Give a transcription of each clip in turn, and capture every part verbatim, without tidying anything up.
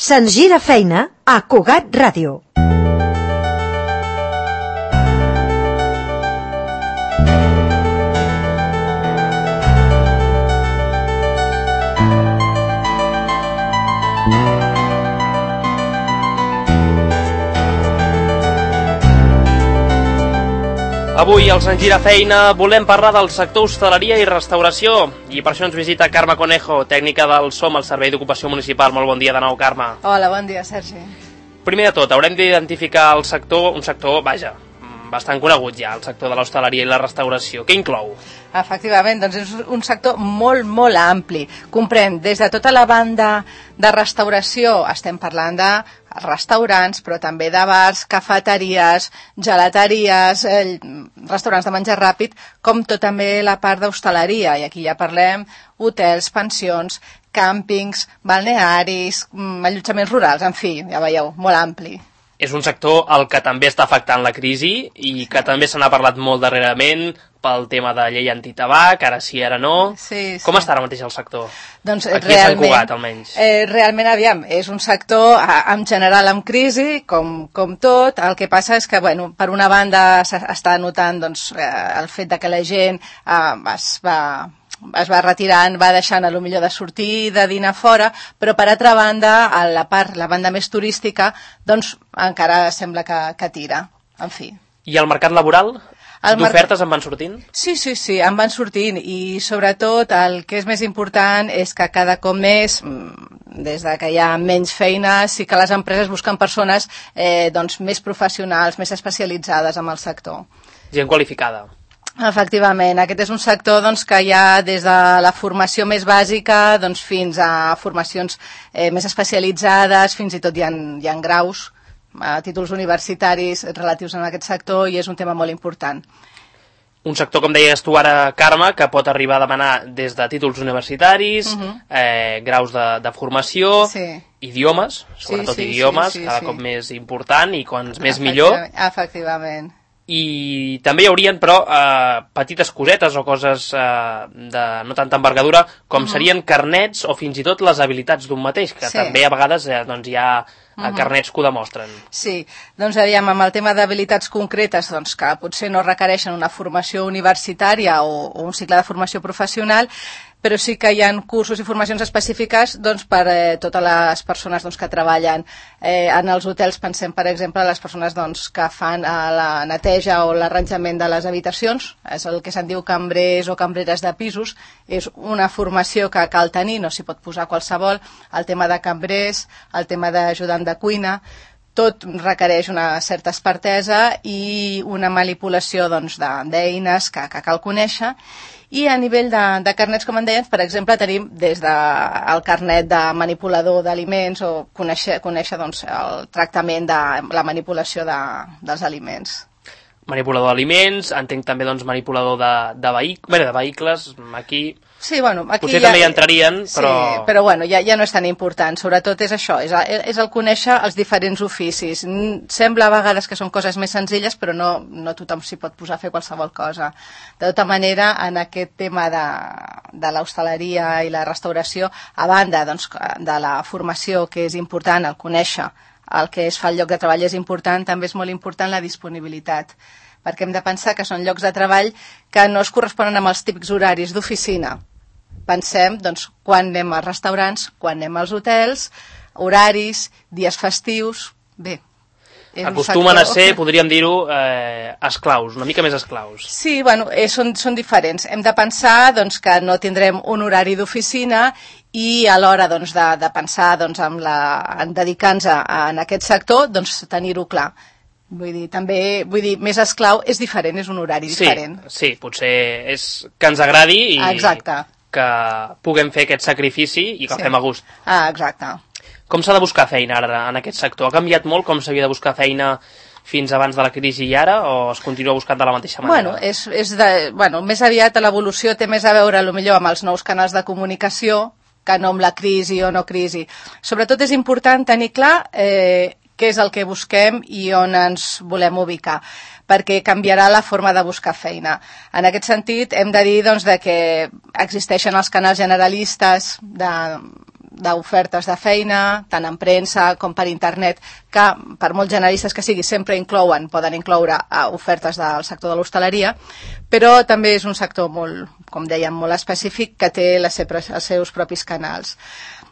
Se'ns gira feina a Cugat Ràdio. Avui, als En Gira Feina, volem parlar del sector hostaleria i restauració. I per això ens visita Carme Conejo, tècnica del SOM, al Servei d'Ocupació Municipal. Molt bon dia de nou, Carme. Hola, bon dia, Sergi. Primer de tot, haurem d'identificar el sector, un sector, vaja, bastant conegut ja, el sector de l'hostaleria i la restauració. Què inclou? Efectivament, doncs és un sector molt, molt ampli. Comprèn des de tota la banda de restauració, estem parlant de restaurants, però també de bars, cafeteries, gelateries, eh, restaurants de menjar ràpid, com tot també la part d'hostaleria. I aquí ja parlem hotels, pensions, càmpings, balnearis, allotjaments rurals, en fi, ja veieu, molt ampli. És un sector al que també està afectant la crisi i que també se n'ha parlat molt darrerament pel tema de llei antitabac, ara sí, ara no. Sí, sí. Com està ara mateix el sector? Doncs aquí a Sant Cugat, almenys. Eh, realment, aviam, és un sector en general amb crisi, com, com tot. El que passa és que, bueno, per una banda està notant doncs, eh, el fet de que la gent eh, es va... es va retirant, va deixant a lo millor de sortir, de dinar fora, però per altra banda, a la part, la banda més turística, doncs encara sembla que, que tira, en fi. I el mercat laboral? D'ofertes en van sortint? Sí, sí, sí, en van sortint, i sobretot el que és més important és que cada cop més, des de que hi ha menys feina, sí que les empreses busquen persones eh, doncs, més professionals, més especialitzades en el sector. Gent qualificada. Efectivament, aquest és un sector doncs, que hi ha des de la formació més bàsica doncs, fins a formacions eh, més especialitzades, fins i tot hi ha, hi ha graus, a títols universitaris relatius a aquest sector, i és un tema molt important. Un sector, com deies tu ara, Carme, que pot arribar a demanar des de títols universitaris, uh-huh. eh, graus de, de formació, sí. idiomes, sobretot sí, sí, idiomes, sí, sí, cada sí. cop més important i quants més millor. Efectivament. I també hi haurien, però, eh, petites cosetes o coses eh, de no tanta envergadura, com uh-huh. serien carnets o fins i tot les habilitats d'un mateix, que sí. també a vegades eh, doncs, hi ha uh-huh. carnets que ho demostren. Sí, doncs aviam, amb el tema d'habilitats concretes, doncs, que potser no requereixen una formació universitària o, o un cicle de formació professional, però sí que hi ha cursos i formacions específiques doncs, per eh, totes les persones doncs, que treballen eh, en els hotels. Pensem, per exemple, les persones doncs, que fan eh, la neteja o l'arranjament de les habitacions, és el que se'n diu cambrers o cambreres de pisos, és una formació que cal tenir, no s'hi pot posar qualsevol, el tema de cambrers, el tema d'ajudant de cuina, tot requereix una certa expertesa i una manipulació doncs, d'eines que, que cal conèixer. I a nivell de, de carnets, com en deien, per exemple, tenim des del carnet de manipulador d'aliments o conèixer, conèixer doncs, el tractament de la manipulació de, dels aliments. Manipulador d'aliments, entenc també doncs, manipulador de, de, vehic... Bé, de vehicles, aquí... Sí, bueno, aquí potser ja, també hi entrarien, però... Sí, però bueno, ja, ja no és tan important. Sobretot és això, és, és el conèixer els diferents oficis. Sembla a vegades que són coses més senzilles, però no, no tothom s'hi pot posar a fer qualsevol cosa. De tota manera, en aquest tema de, de l'hostaleria i la restauració, a banda doncs, de la formació, que és important, el conèixer el que es fa al lloc de treball és important, també és molt important la disponibilitat, perquè hem de pensar que són llocs de treball que no es corresponen amb els típics horaris d'oficina. Pensem, doncs, quan anem als restaurants, quan anem als hotels, horaris, dies festius... Bé, acostumen a ser, podríem dir-ho, eh, esclaus, una mica més esclaus. Sí, bueno, eh, són, són diferents. Hem de pensar doncs, que no tindrem un horari d'oficina i a l'hora doncs, de, de pensar doncs, en, la, en dedicar-nos en aquest sector, doncs, tenir-ho clar. Vull dir, també, vull dir, més esclau és diferent, és un horari sí, diferent. Sí, potser és que ens agradi i exacte. Que puguem fer aquest sacrifici i que sí. fem a gust. Ah, exacte. Com s'ha de buscar feina ara en aquest sector? Ha canviat molt com s'havia de buscar feina fins abans de la crisi i ara, o es continua buscant de la mateixa manera? Bueno, és, és de, bueno més aviat l'evolució té més a veure potser amb els nous canals de comunicació que no amb la crisi o no crisi. Sobretot és important tenir clar eh, què és el que busquem i on ens volem ubicar, perquè canviarà la forma de buscar feina. En aquest sentit, hem de dir doncs, de que existeixen els canals generalistes de, d'ofertes de feina, tant en premsa com per internet, que per molt generalistes que sigui sempre inclouen, poden incloure ofertes del sector de l'hostaleria, però també és un sector molt, com dèiem, molt específic que té les seves, els seus propis canals.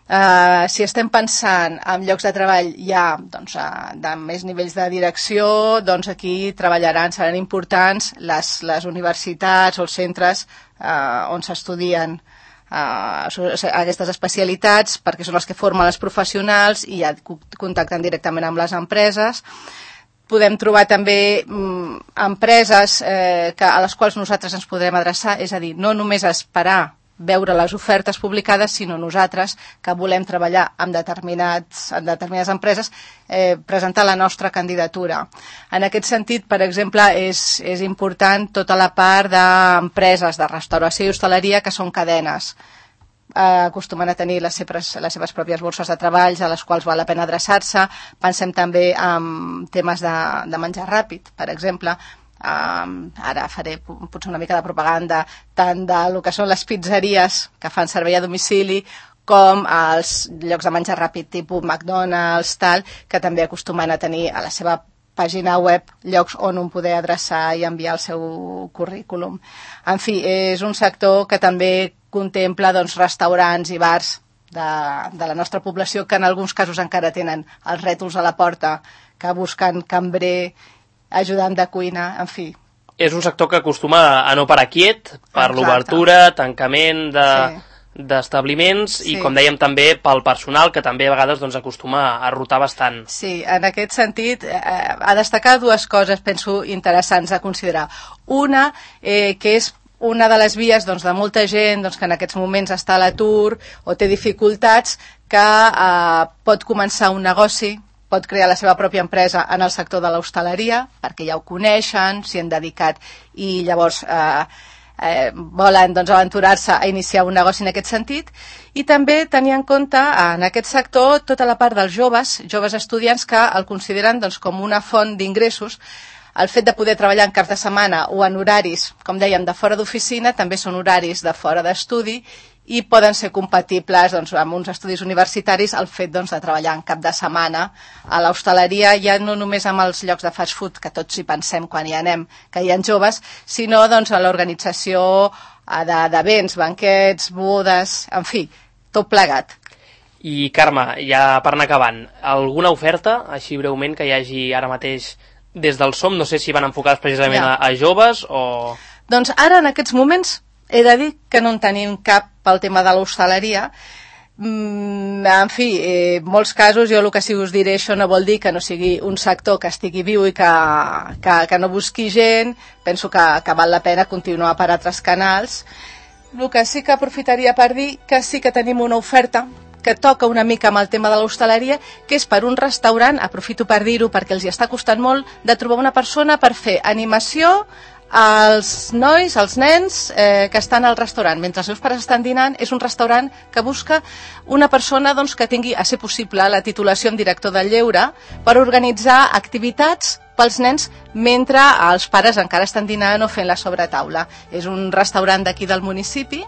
Uh, si estem pensant en llocs de treball ja doncs, uh, de més nivells de direcció, doncs aquí treballaran, seran importants les, les universitats o els centres uh, on s'estudien uh, aquestes especialitats, perquè són els que formen els professionals i ja contacten directament amb les empreses. Podem trobar també mm, empreses eh, que, a les quals nosaltres ens podrem adreçar, és a dir, no només esperar veure les ofertes publicades, sinó nosaltres que volem treballar amb, determinats, amb determinades empreses, eh, presentar la nostra candidatura. En aquest sentit, per exemple, és, és important tota la part d'empreses de restauració i hostaleria que són cadenes. Eh, acostumen a tenir les seves, les seves pròpies borses de treballs a les quals val la pena adreçar-se. Pensem també en temes de, de menjar ràpid, per exemple. Um, ara faré potser una mica de propaganda tant del que són les pizzeries que fan servei a domicili com els llocs de menjar ràpid tipus McDonald's, tal, que també acostumen a tenir a la seva pàgina web llocs on un poder adreçar i enviar el seu currículum. En fi, és un sector que també contempla doncs, restaurants i bars de, de la nostra població que en alguns casos encara tenen els rètols a la porta que busquen cambrer, ajudant de cuina, en fi. És un sector que acostuma a no parar quiet per l'obertura, tancament de, sí. d'establiments sí. i, com dèiem, també pel personal, que també a vegades doncs, acostuma a rotar bastant. Sí, en aquest sentit, eh, a destacar dues coses, penso, interessants a considerar. Una, eh, que és una de les vies doncs, de molta gent doncs, que en aquests moments està a l'atur o té dificultats, que eh, pot començar un negoci, pot crear la seva pròpia empresa en el sector de l'hostaleria, perquè ja ho coneixen, s'hi han dedicat i llavors eh, eh, volen doncs, aventurar-se a iniciar un negoci en aquest sentit. I també tenir en compte en aquest sector tota la part dels joves, joves estudiants que el consideren doncs, com una font d'ingressos. El fet de poder treballar en caps de setmana o en horaris, com dèiem, de fora d'oficina, també són horaris de fora d'estudi i poden ser compatibles doncs, amb uns estudis universitaris el fet doncs, de treballar en cap de setmana a l'hostaleria, ja no només amb els llocs de fast food, que tots hi pensem quan hi anem, que hi ha joves, sinó doncs, a l'organització d'events, banquets, bodes, en fi, tot plegat. I Carme, ja per anar acabant, alguna oferta, així breument, que hi hagi ara mateix des del SOM? No sé si van enfocades precisament ja. a, a joves o... Doncs ara, en aquests moments, he de dir que no en tenim cap pel tema de l'hostaleria. Mm, en fi, en eh, molts casos jo el que sí us diré, això no vol dir que no sigui un sector que estigui viu i que, que, que no busqui gent. Penso que, que val la pena continuar per altres canals. El que sí que aprofitaria per dir que sí que tenim una oferta que toca una mica amb el tema de l'hostaleria, que és per un restaurant, aprofito per dir-ho perquè els hi està costant molt, de trobar una persona per fer animació als nois, als nens eh, que estan al restaurant. Mentre els seus pares estan dinant, és un restaurant que busca una persona doncs, que tingui, a ser possible, la titulació en director del lleure per organitzar activitats pels nens mentre els pares encara estan dinant o fent la sobretaula. És un restaurant d'aquí del municipi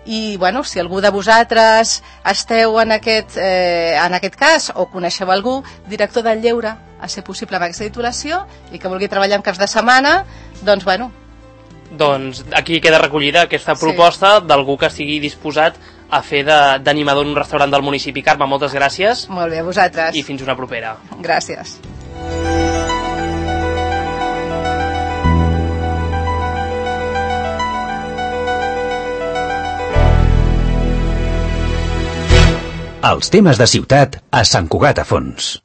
i, bueno, si algú de vosaltres esteu en aquest, eh, en aquest cas o coneixeu algú, director del lleure, a ser possible amb aquesta titulació i que vulgui treballar en caps de setmana, doncs, bueno. Doncs aquí queda recollida aquesta proposta sí. d'algú que estigui disposat a fer d'animador en un restaurant del municipi. Carme, moltes gràcies. Molt bé, a vosaltres. I fins una propera. Gràcies. Els temes de ciutat a Sant Cugat a Fons.